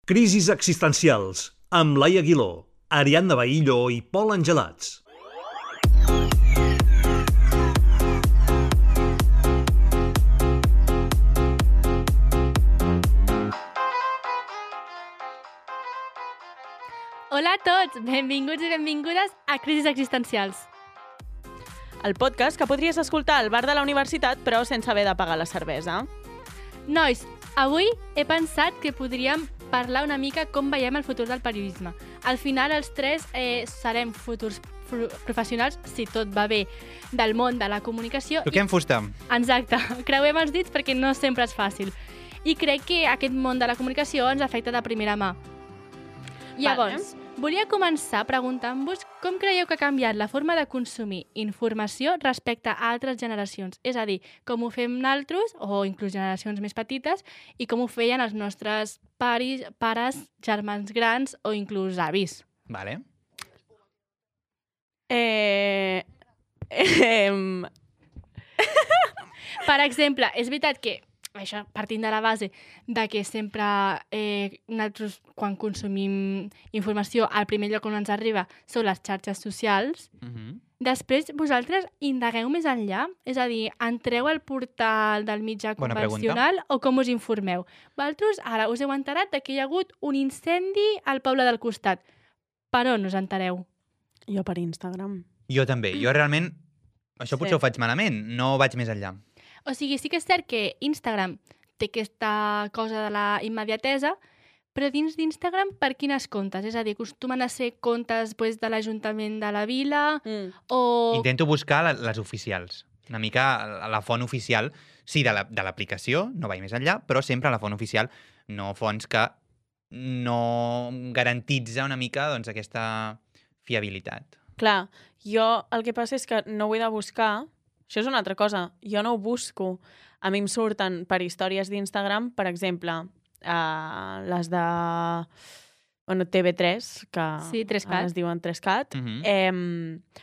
Crisis existencials, amb Laia Aguiló, Ariadna Bahillo i Pol Angelats. Hola a tots, benvinguts i benvingudes a Crisis Existencials. El podcast que podries escoltar al bar de la universitat però sense haver de pagar la cervesa. Nois, avui he pensat que podríem parlar una mica com veiem el futur del periodisme. Al final els tres serem futurs professionals, si tot va bé, del món de la comunicació. Toquem fusta. Exacte, creuem els dits perquè no sempre és fàcil. I crec que aquest món de la comunicació ens afecta de primera mà. Llavors, volia començar preguntant-vos com creieu que ha canviat la forma de consumir informació respecte a altres generacions. És a dir, com ho fem nosaltres, o inclús generacions més petites, i com ho feien els nostres pares, germans grans o inclús avis. Vale. Per exemple, és veritat que això, partint de la base de que sempre nosaltres, quan consumim informació, al primer lloc on ens arriba són les xarxes socials. Després, vosaltres indagueu més enllà? És a dir, entreu al portal del mitjà convencional o com us informeu? Vosaltres ara us heu enterat que hi ha hagut un incendi al poble del costat. Per on us entereu? Jo per Instagram. Jo també. Jo realment, això potser ho faig malament, no vaig més enllà. O sigui, sí que és cert que Instagram té aquesta cosa de la immediatesa, però dins d'Instagram per quines comptes? És a dir, acostumen a ser comptes de l'Ajuntament de la Vila o... Intento buscar les oficials. Una mica la font oficial, sí, de l'aplicació, no vaig més enllà, però sempre la font oficial, no fonts que no garantitza una mica doncs, aquesta fiabilitat. Clar, jo el que passa és que no ho he de buscar. Això és una altra cosa. Jo no ho busco. A mi em surten per històries d'Instagram, per exemple, les de TV3, que sí, 3Cat. es diuen 3Cat.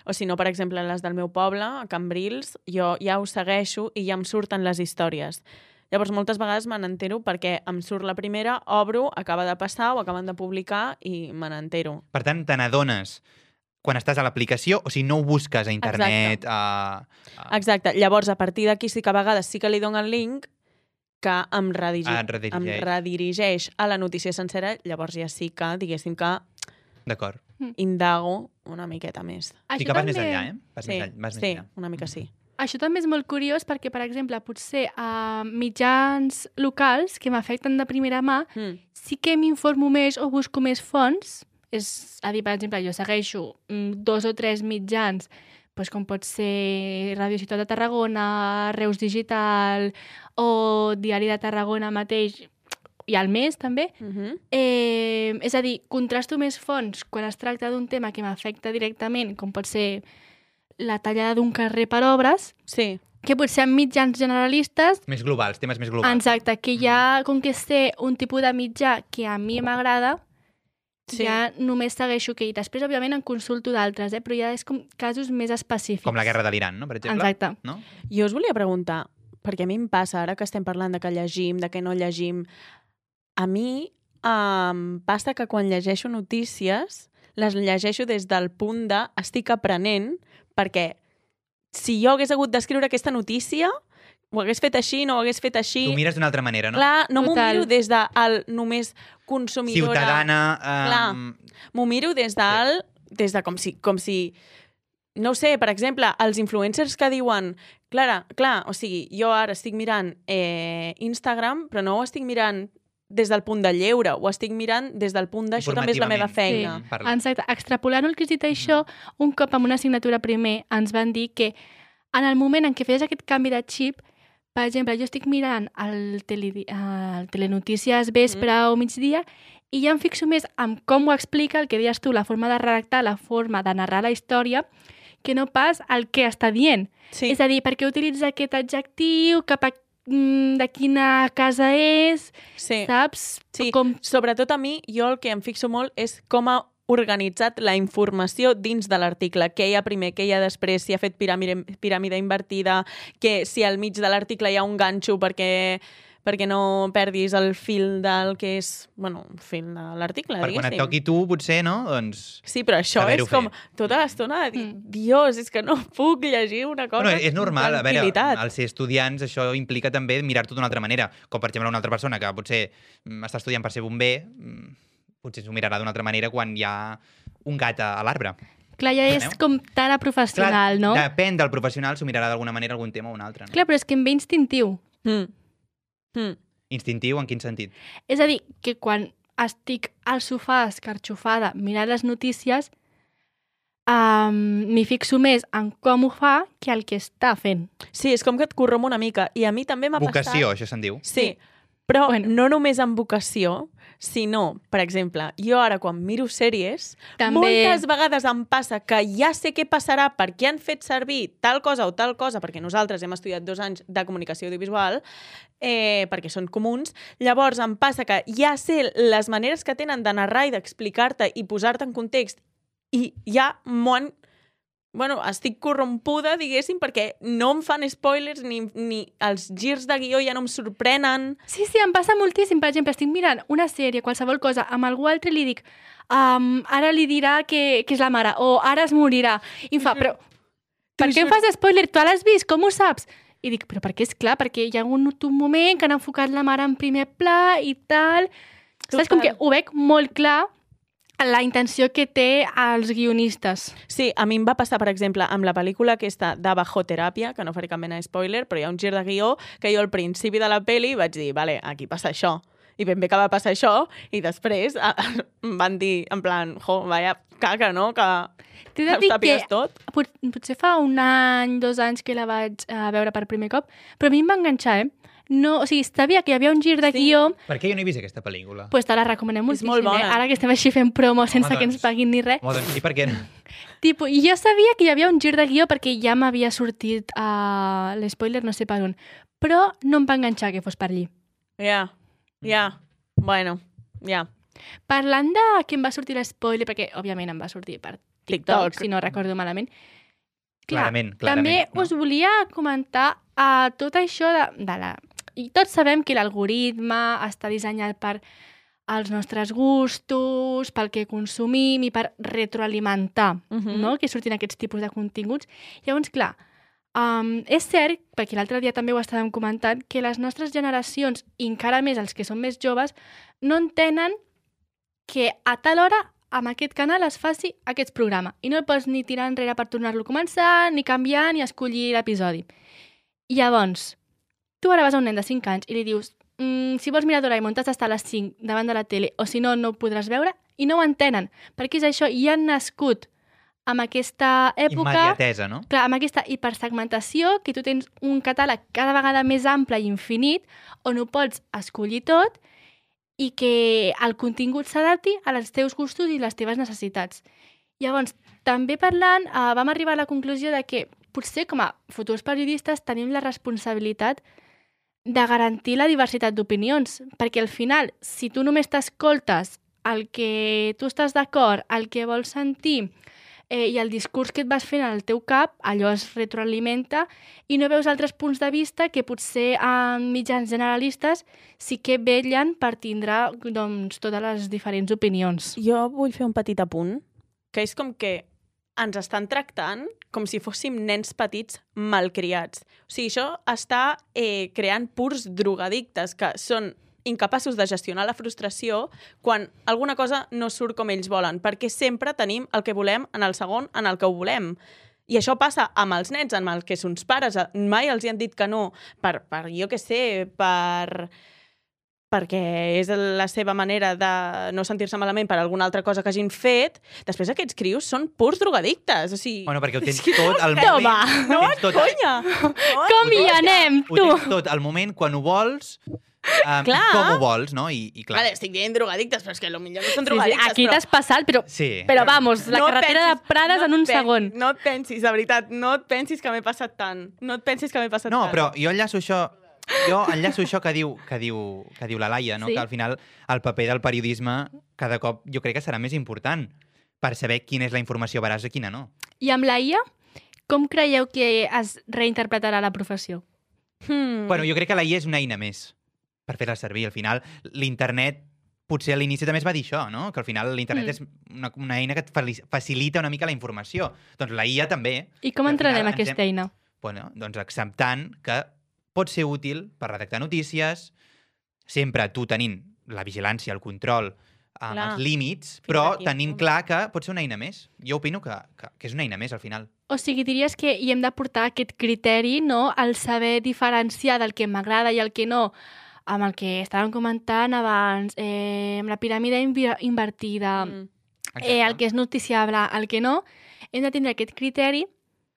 O si no, per exemple, les del meu poble, a Cambrils, jo ja ho segueixo i ja em surten les històries. Llavors, moltes vegades me n'entero perquè em surt la primera, obro, acaba de passar o acaben de publicar i me n'entero. Per tant, te n'adones quan estàs a l'aplicació o si no ho busques a internet. Exacte. Llavors, a partir d'aquí sí que a vegades sí que li dono el link que em redirigeix a la notícia sencera, llavors ja sí que, diguéssim que D'acord. Indago una miqueta més. Sí que vas més enllà, eh? Vas Sí, més sí, enllà. una mica sí. Això també és molt curiós perquè, per exemple, potser a mitjans locals que m'afecten de primera mà sí que m'informo més o busco més fonts. És a dir, per exemple, jo segueixo 2 o 3 mitjans, com pot ser Ràdio Ciutat de Tarragona, Reus Digital o Diari de Tarragona mateix, i al Mes també. És a dir, contrasto més fonts quan es tracta d'un tema que m'afecta directament, com pot ser la tallada d'un carrer per obres, sí, que potser en mitjans generalistes... Més globals, temes més globals. Exacte, que ja, com que sé un tipus de mitjà que a mi m'agrada, sí, ja només segueixo que... I després, òbviament, en consulto d'altres, però ja és com casos més específics. Com la guerra de l'Iran, no? Per exemple. Exacte. No? Jo us volia preguntar, perquè a mi em passa, ara que estem parlant de que llegim, de que no llegim, a mi em passa que quan llegeixo notícies, les llegeixo des del punt de estic aprenent, perquè si jo hagués hagut d'escriure aquesta notícia, ho hagués fet així, no ho hagués fet així... Tu mires d'una altra manera, no? Clar, no m'ho miro des de només consumidora... Ciutadana... Clar, m'ho miro des de com si... No ho sé, per exemple, els influencers que diuen... Clar, o sigui, jo ara estic mirant Instagram, però no ho estic mirant des del punt de lleure, ho estic mirant des del punt d'això també és la meva feina. Sí. Exacte. Extrapolant el que has dit això, un cop amb una assignatura primer ens van dir que en el moment en què feies aquest canvi de xip, per exemple, jo estic mirant el telenotícies vespre o migdia i ja em fixo més en com ho explica, el que deies tu, la forma de redactar, la forma de narrar la història, que no pas el que està dient. Sí. És a dir, per què utilitza aquest adjectiu, de quina casa és, sí, saps? Sí, sobretot a mi, jo el que em fixo molt és com ha organitzat la informació dins de l'article. Què hi ha primer, què hi ha després, si ha fet piràmide invertida, que si al mig de l'article hi ha un ganxo perquè perquè no perdis el fil del que és, bueno, el fil de l'article, Per quan et diguéssim. toqui tu, potser, no? Doncs... Sí, però això saber-ho és com fer. tota l'estona de dir, Dios, és que no puc llegir una cosa Bueno, és normal, a veure, tranquil·litat. al ser estudiants això implica també mirar-t'ho d'una altra manera. Com, per exemple, una altra persona que potser està estudiant per ser bomber, potser s'ho mirarà d'una altra manera quan hi ha un gat a l'arbre. Clar, ja és Enteneu? com tan a professional, no? Depèn del professional, s'ho mirarà d'alguna manera algun tema o un altre. No? Clar, però és que em ve instintiu. Instintiu, en quin sentit? És a dir, que quan estic al sofà escarxofada mirant les notícies, m'hi fixo més en com ho fa que el que està fent. Sí, és com que et corromp una mica. I a mi també m'ha passat... Vocació, això se'n diu. Sí, però Bueno. no només amb vocació, sinó, per exemple, jo ara quan miro sèries, També- moltes vegades em passa que ja sé què passarà perquè han fet servir tal cosa o tal cosa, perquè nosaltres hem estudiat 2 anys de comunicació audiovisual, perquè són comuns, llavors em passa que ja sé les maneres que tenen de narrar i d'explicar-te i posar-te en context i ja m'ho han... Bueno, estic corrompuda, diguéssim, perquè no em fan spoilers ni els girs de guió ja no em sorprenen. Sí, em passa moltíssim. Per exemple, estic mirant una sèrie, qualsevol cosa, amb algú altre i li dic ara li dirà que és la mare, o ara es morirà. I em fa, però per què em fas spoiler? Tu l'has vist? Com ho saps? I dic, però perquè és clar, perquè hi ha hagut un moment que han enfocat la mare en primer pla i tal. Saps? Com que ho veig molt clar la intenció que té els guionistes. Sí, a mi em va passar, per exemple, amb la pel·lícula aquesta de Bajoteràpia, que no faré cap mena de spoiler, però hi ha un gir de guió que jo al principi de la peli vaig dir, vale, aquí passa això. I ben bé que va passar això, i després em van dir, en plan, vaya caca, no?, que T'he de dir que sàpigues tot. potser fa 1 any, 2 anys que la vaig veure per primer cop, però a mi em va enganxar, No, o sigui, sabia que hi havia un gir de guió, Per què jo no he vist aquesta pel·lícula? pues te la recomanem moltíssim. molt bona. Ara que estem així fent promo sense que ens doncs. paguin ni res. Home, doncs sí, per què no? Tipo, i jo sabia que hi havia un gir de guió perquè ja m'havia sortit l'espoiler no sé per on. Però no em va enganxar que fos per allí. Ja. Bueno, ja. Parlant de que em va sortir l'espoiler, perquè òbviament em va sortir per TikTok, si no recordo malament. Clarament. També no? us volia comentar tot això de la... I tots sabem que l'algoritme està dissenyat per als nostres gustos, pel que consumim i per retroalimentar, no? Que surtin aquests tipus de continguts. Llavors, clar, és cert, perquè l'altre dia també ho estàvem comentant, que les nostres generacions, i encara més els que són més joves, no entenen que a tal hora amb aquest canal es faci aquest programa. I no el pots ni tirar enrere per tornar-lo a començar, ni canviar, ni escollir l'episodi. Llavors, tu ara vas a un nen de 5 anys i li dius si vols mirar Doraemon t'has d'estar a les 5 davant de la tele o si no, no ho podràs veure, i no ho entenen, perquè és això, i han nascut amb aquesta època... Immediatesa, no? Clar, amb aquesta hipersegmentació, que tu tens un catàleg cada vegada més ample i infinit, on ho pots escollir tot i que el contingut s'adapti als teus gustos i les teves necessitats. Llavors, també parlant, vam arribar a la conclusió de que potser com a futurs periodistes tenim la responsabilitat de garantir la diversitat d'opinions, perquè al final, si tu només t'escoltes el que tu estàs d'acord, el que vols sentir i el discurs que et vas fent al teu cap, allò es retroalimenta i no veus altres punts de vista que potser en mitjans generalistes sí que vetllen per tindre doncs, totes les diferents opinions. Jo vull fer un petit apunt, que és com que ens estan tractant com si fóssim nens petits malcriats. O sigui, això està creant purs drogadictes que són incapaços de gestionar la frustració quan alguna cosa no surt com ells volen, perquè sempre tenim el que volem en el segon en el que ho volem. I això passa amb els nens, amb els que sons pares mai els hi han dit que no, per jo què sé, perquè és la seva manera de no sentir-se malament per alguna altra cosa que hagin fet, després aquests crios són purs drogadictes. O sigui... Bueno, perquè ho tens tot al Toma! moment... No, tens tot, conya! Com hi anem, ho tu? tens tot al moment, quan ho vols, Clar. com ho vols, no? I clar. Vale, estic dient drogadictes, però és que potser no són Sí, drogadictes. aquí t'has passat, però Sí. vamos, la carretera de Prades en un segon. No et pensis, de veritat, no et pensis que m'he passat tant. No et pensis que m'he passat No, tant. però jo enllaço això que diu la Laia, no? Sí. Que al final el paper del periodisme cada cop jo crec que serà més important per saber quina és la informació veraç i quina no. I amb la IA, com creieu que es reinterpretarà la professió? Bueno, jo crec que la IA és una eina més. per fer-les servir. Al final, l'internet potser a l'inici també es va dir això, no? Que al final l'internet és una eina que et facilita una mica la informació. Doncs la IA també. I com entrenem aquesta eina? Bueno, doncs acceptant que pot ser útil per redactar notícies, sempre tu tenint la vigilància, el control, els límits, però tenint clar que pot ser una eina més. Jo opino que és una eina més, al final. O sigui, diries que hi hem de portar aquest criteri, no?, el saber diferenciar del que m'agrada i el que no, amb el que estàvem comentant abans, amb la piràmide invertida, el que és noticiable, el que no, hem de tindre aquest criteri.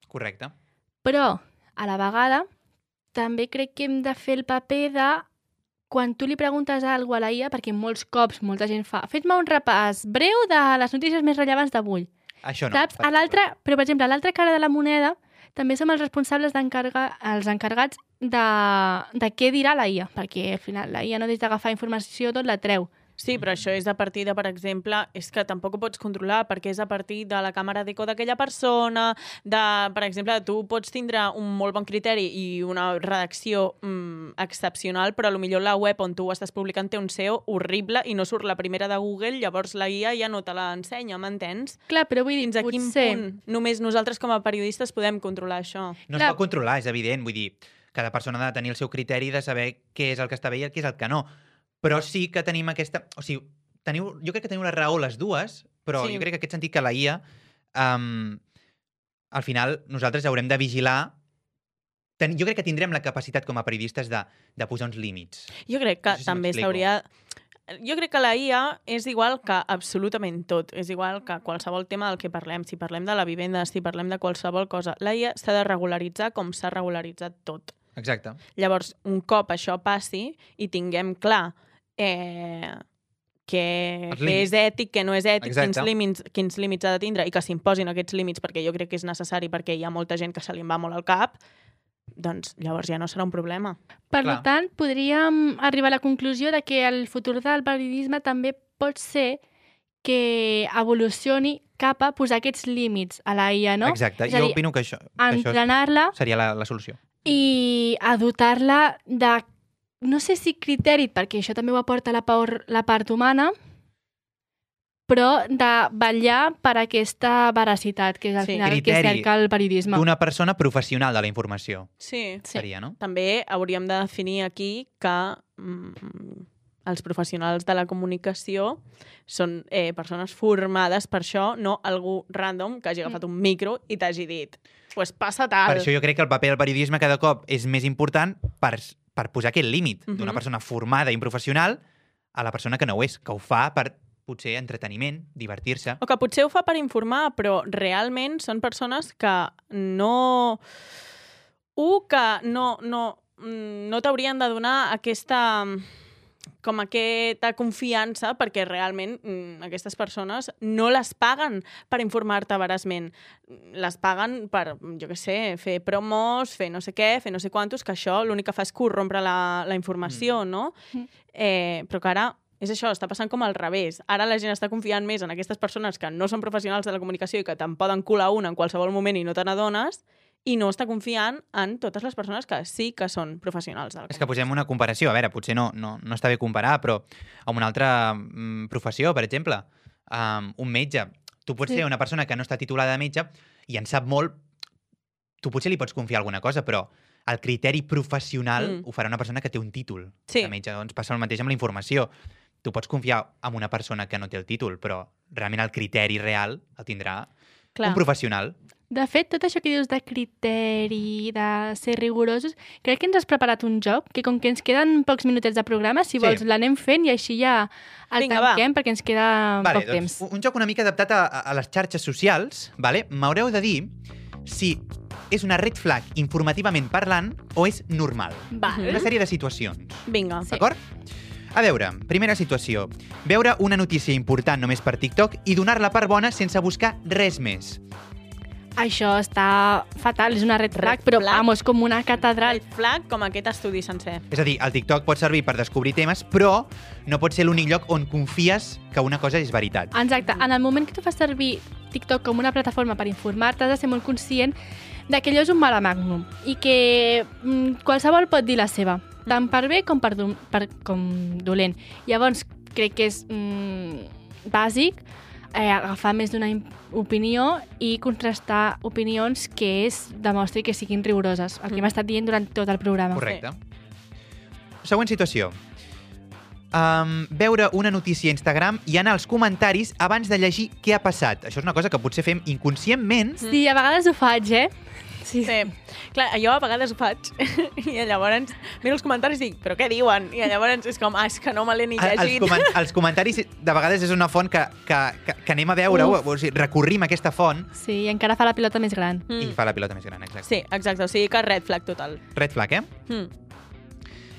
Correcte. Però, a la vegada, també crec que hem de fer el paper de quan tu li preguntes alguna cosa a la IA, perquè molts cops molta gent fa fes-me un repàs breu de les notícies més rellevants d'avui. Això no. Saps? Però, per exemple, a l'altra cara de la moneda també som els responsables els encargats de què dirà la IA, perquè al final la IA no deixa d'agafar informació, tot la treu. Sí, però això és a partir de, per exemple, és que tampoc ho pots controlar perquè és a partir de la càmera d'eco d'aquella persona, per exemple, tu pots tindre un molt bon criteri i una redacció excepcional, però potser la web on tu ho estàs publicant té un SEO horrible i no surt la primera de Google, llavors la IA ja no te l'ensenya, m'entens? Clar, però vull dir, fins a quin punt només nosaltres com a periodistes podem controlar això? No es pot controlar, és evident, vull dir, cada persona ha de tenir el seu criteri de saber què és el que està bé i què és el que no. Però sí que tenim aquesta... O sigui, jo crec que teniu la raó les dues, però jo crec que aquest sentit que la IA, al final, nosaltres haurem de vigilar... Jo crec que tindrem la capacitat com a periodistes de posar uns límits. Jo crec que també s'hauria... Jo crec que la IA és igual que absolutament tot. És igual que qualsevol tema del que parlem. Si parlem de la vivenda, si parlem de qualsevol cosa. La IA s'ha de regularitzar com s'ha regularitzat tot. Exacte. Llavors, un cop això passi i tinguem clar què és ètic, què no és ètic, quins límits ha de tindre i que s'imposin aquests límits perquè jo crec que és necessari perquè hi ha molta gent que se li en va molt al cap, doncs llavors ja no serà un problema. Per tant, podríem arribar a la conclusió de que el futur del periodisme també pot ser que evolucioni cap a posar aquests límits a la IA, no? Exacte, jo opino que això seria la solució. I a dotar-la de, no sé si criteri, perquè això també ho aporta la part humana, però de vetllar per aquesta veracitat, que és al final el que cerca el periodisme. D'una persona professional de la informació. Sí. Seria, no? També hauríem de definir aquí que els professionals de la comunicació són persones formades per això, no algú random que hagi agafat un micro i t'hagi dit pues passa tal. Per això jo crec que el paper del periodisme cada cop és més important per posar aquest límit d'una persona formada i professional a la persona que no ho és, que ho fa per potser entreteniment, divertir-se. O que potser ho fa per informar, però realment són persones que no t'haurien de donar aquesta confiança perquè realment aquestes persones no les paguen per informar-te veraçment. Les paguen per, jo què sé, fer promos, fer no sé què, fer no sé quantos, que això l'únic que fa és corrompre la informació, no? Però que ara és això, està passant com al revés. Ara la gent està confiant més en aquestes persones que no són professionals de la comunicació i que te'n poden colar una en qualsevol moment i no te n'adones, i no està confiant en totes les persones que sí que són professionals de la comunicació. És que posem una comparació. A veure, potser no està bé comparar, però amb una altra professió, per exemple, un metge. Tu pots ser una persona que no està titulada de metge i en sap molt. Tu potser li pots confiar alguna cosa, però el criteri professional ho farà una persona que té un títol de metge. Doncs passa el mateix amb la informació. Tu pots confiar en una persona que no té el títol, però realment el criteri real el tindrà un professional. De fet, tot això que dius de criteri, de ser rigorosos, crec que ens has preparat un joc, que com que ens queden pocs minutets de programa, si vols l'anem fent i així ja el tanquem, perquè ens queda poc temps. Un joc una mica adaptat a les xarxes socials, m'haureu de dir si és una red flag informativament parlant o és normal. Una sèrie de situacions. Vinga. D'acord? A veure, primera situació. Veure una notícia important només per TikTok i donar-la per bona sense buscar res més. Això està fatal, és una red flag, però vamos, com una catedral. Red flag com aquest estudi sencer. És a dir, el TikTok pot servir per descobrir temes, però no pot ser l'únic lloc on confies que una cosa és veritat. Exacte. En el moment que tu fas servir TikTok com una plataforma per informar-te, has de ser molt conscient de que allò és un mare magnum i que qualsevol pot dir la seva. tant per bé com com dolent. Llavors, crec que és bàsic agafar més d'una opinió i contrastar opinions que demostri que siguin rigoroses, el que hem estat dient durant tot el programa. Correcte. Següent situació. Veure una notícia a Instagram i anar als comentaris abans de llegir què ha passat. Això és una cosa que potser fem inconscientment. Sí, a vegades ho faig, Sí. Clar, jo a vegades ho faig i llavors miro els comentaris i dic, però què diuen? I llavors és com, és que no me l'he ni llegit. Els comentaris de vegades és una font que anem a veure-ho, o sigui, recorrim aquesta font. Sí, i encara fa la pilota més gran. I fa la pilota més gran, exacte. Sí, exacte, o sigui que red flag total. Red flag,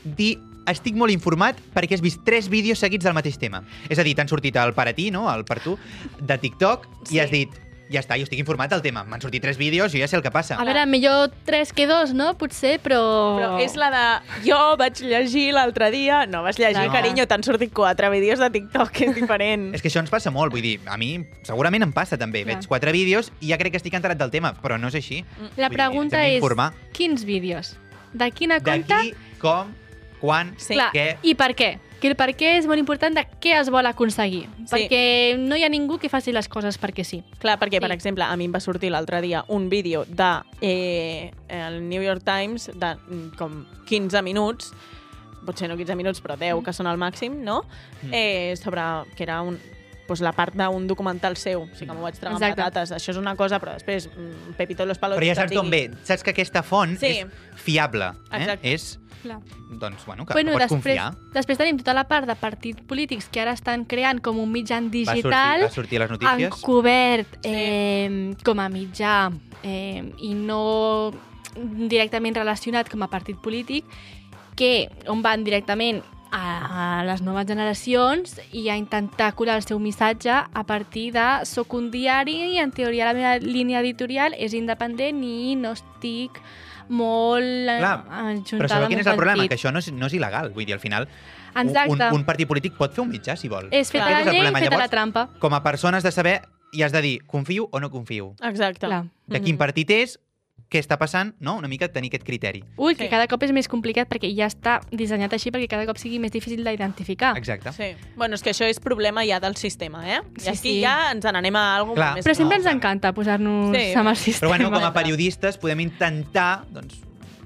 Dir, estic molt informat perquè has vist 3 vídeos seguits del mateix tema. És a dir, t'han sortit el per a ti, no? El per tu, de TikTok, i has dit, ja està, jo estic informat del tema. M'han sortit 3 vídeos, jo ja sé el que passa. A veure, millor 3 que 2, no? Potser, però... Però és la de... Jo vaig llegir l'altre dia... No vas llegir, carinyo, t'han sortit 4 vídeos de TikTok, que és diferent. És que això ens passa molt, vull dir, a mi segurament em passa també. Veig 4 vídeos i ja crec que estic enterat del tema, però no és així. La pregunta és, quins vídeos? De quina compte? De qui, com, quan, què... I per què? Que el per què és molt important de què es vol aconseguir. Perquè no hi ha ningú que faci les coses perquè sí. Clar, perquè, per exemple, a mi em va sortir l'altre dia un vídeo de el New York Times de com 15 minuts, potser no 15 minuts, però 10, que són el màxim, no? Sobre que era la part d'un documental seu. O sigui que m'ho vaig treure amb patates. Això és una cosa, però després, Pepito los palos... Però ja saps d'on ve. Saps que aquesta font és fiable. Exacte. És... Doncs, bueno, que pots confiar. Després tenim tota la part de partits polítics que ara estan creant com un mitjan digital va sortir les notícies. encobert com a mitjà i no directament relacionat com a partit polític, on van directament a les noves generacions i a intentar colar el seu missatge a partir de soc un diari i en teoria la meva línia editorial és independent i no estic molt ajuntada. Però sabeu quin és el problema? Que això no és il·legal. Vull dir, al final, un partit polític pot fer un mitjà, si vol. És feta la llei, feta la trampa. Com a persona has de saber i has de dir, confio o no confio. Exacte. De quin partit és, què està passant, no? Una mica tenir aquest criteri. Que cada cop és més complicat perquè ja està dissenyat així perquè cada cop sigui més difícil d'identificar. Exacte. Sí. Bueno, és que això és problema ja del sistema, I aquí ja ens n'anem a alguna cosa més... Però sempre ens encanta posar-nos amb el sistema. Però bueno, com a periodistes podem intentar, doncs,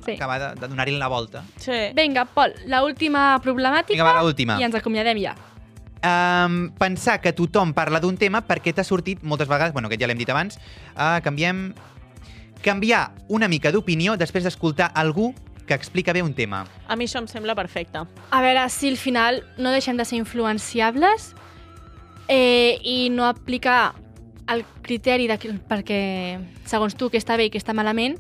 acabar de donar-hi la volta. Sí. Vinga, Pol, l'última problemàtica. Vinga, va, l'última. I ens acomiadem ja. Pensar que tothom parla d'un tema perquè t'ha sortit moltes vegades, bueno, aquest ja l'hem dit abans, canviar una mica d'opinió després d'escoltar algú que explica bé un tema. A mi això em sembla perfecte. A veure, si al final no deixem de ser influenciables i no aplicar el criteri perquè segons tu què està bé i què està malament,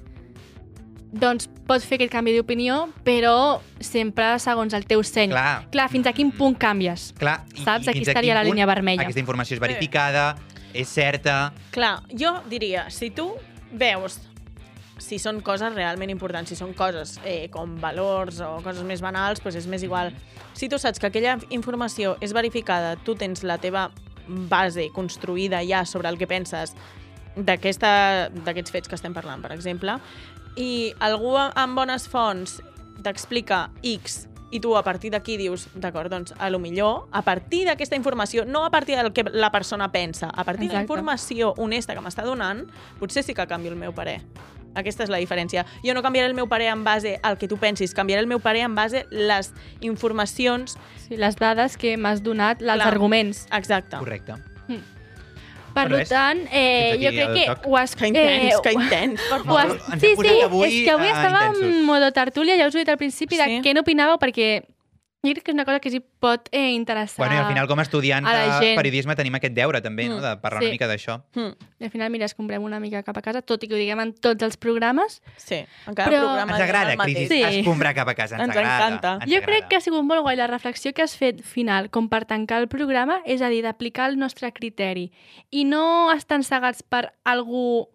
doncs pots fer aquest canvi d'opinió, però sempre segons el teu seny. Clar, fins a quin punt canvies? Clar, saps? Aquí estaria la línia vermella. Aquesta informació és verificada, és certa... Clar, jo diria, si tu veus si són coses realment importants, si són coses com valors o coses més banals, doncs és més igual. Si tu saps que aquella informació és verificada, tu tens la teva base construïda ja sobre el que penses d'aquests fets que estem parlant, per exemple, i algú amb bones fonts t'explica X i tu a partir d'aquí dius, d'acord, doncs a lo millor, a partir d'aquesta informació, no a partir del que la persona pensa, a partir de la informació honesta que m'està donant, potser sí que canvio el meu parer. Aquesta és la diferència. Jo no canviaré el meu parer en base al que tu pensis, canviaré el meu parer en base a les informacions... Sí, les dades que m'has donat, els arguments. Exacte. Correcte. Per tant, jo crec que ho has... Que intens. Sí, és que avui estava en modo tertúlia, ja us ho he dit al principi, de què n'opinàveu, perquè jo crec que és una cosa que sí pot interessar i al final com a estudiants de periodisme tenim aquest deure també, no? De parlar una mica d'això. I al final, mira, es comprem una mica cap a casa, tot i que ho diguem en tots els programes. Sí, en cada programa ens agrada, Crisi, escombrar cap a casa, ens encanta. Jo crec que ha sigut molt guai la reflexió que has fet final, com per tancar el programa, és a dir, d'aplicar el nostre criteri. I no estar cegats per algú,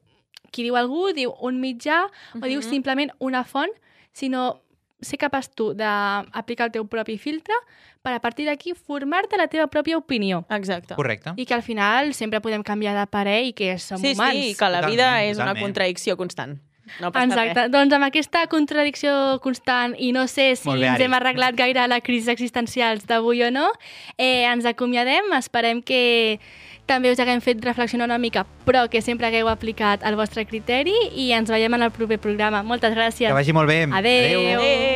qui diu algú, diu un mitjà, o diu simplement una font, sinó ser capaç tu d'aplicar el teu propi filtre per a partir d'aquí formar-te la teva pròpia opinió. Exacte. Correcte. I que al final sempre podem canviar de parer i que som humans. Sí, que la vida és una contradicció constant. No passa Exacte. res. Doncs amb aquesta contradicció constant i no sé si Molt bé, ens Ari. hem arreglat gaire la crisi existencials d'avui o no, ens acomiadem. Esperem que també us haguem fet reflexionar una mica, però que sempre hagueu aplicat el vostre criteri i ens veiem en el proper programa. Moltes gràcies. Que vagi molt bé. Adéu. Adéu.